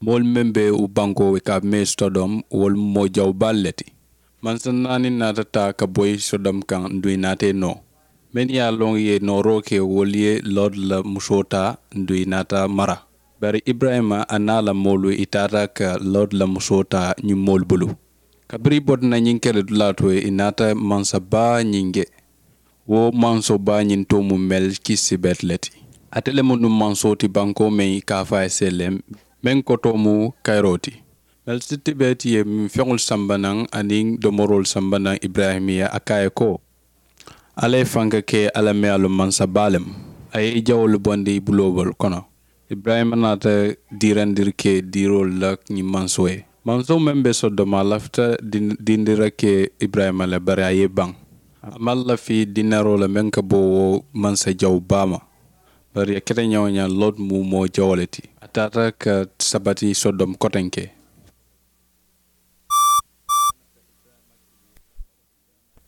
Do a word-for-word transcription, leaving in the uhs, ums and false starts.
Moolu meŋ be wo bankoo ka a mee sodom wolu mu moo jawu baalu le ti. Mansa naani naata taa ka boyi sodom kaŋ nduŋ i naata i noo. Mennu ye a loŋ i ye nooroo ke wolu ye lord la musoo taa nduŋ i naata mara. Bari iburayima a naa la moolu i taata ka lord la musoo taa ñiŋ moolu bulu. Kabiriŋ i bota na ñiŋ kere dulaa to i naata mansa baa ñiŋ je. Wo manso baa ñiŋ to mu melkisibet le ti. Ate le mu nuŋ manso ti bankoo meŋ i ka a fo a ye selem meŋ kotoo mu kayiroo ti. Melkisibet ye feŋolu samba naŋ aniŋ domoroolu samba naŋ iburayima ye a ka a ye ko, alla ye fanka ke alla meŋ ye a loŋ mansa baa le mu. A ye i jawoolu bondi i buloolu kono. Iburayima naata diirandiri ke diiroolu la ñiŋ mansoo ye. Mansoo meŋ be sodoma a lafita diindirakee iburayima le bari a ye i baŋ. A maŋ lafi diinaroo la meŋ ka bo wo mansa jawu baa ma. Bari a keta ñaŋ-wo-ñaŋ lot mu moo jawo le ti. A taata ka sabati sodom kotenke.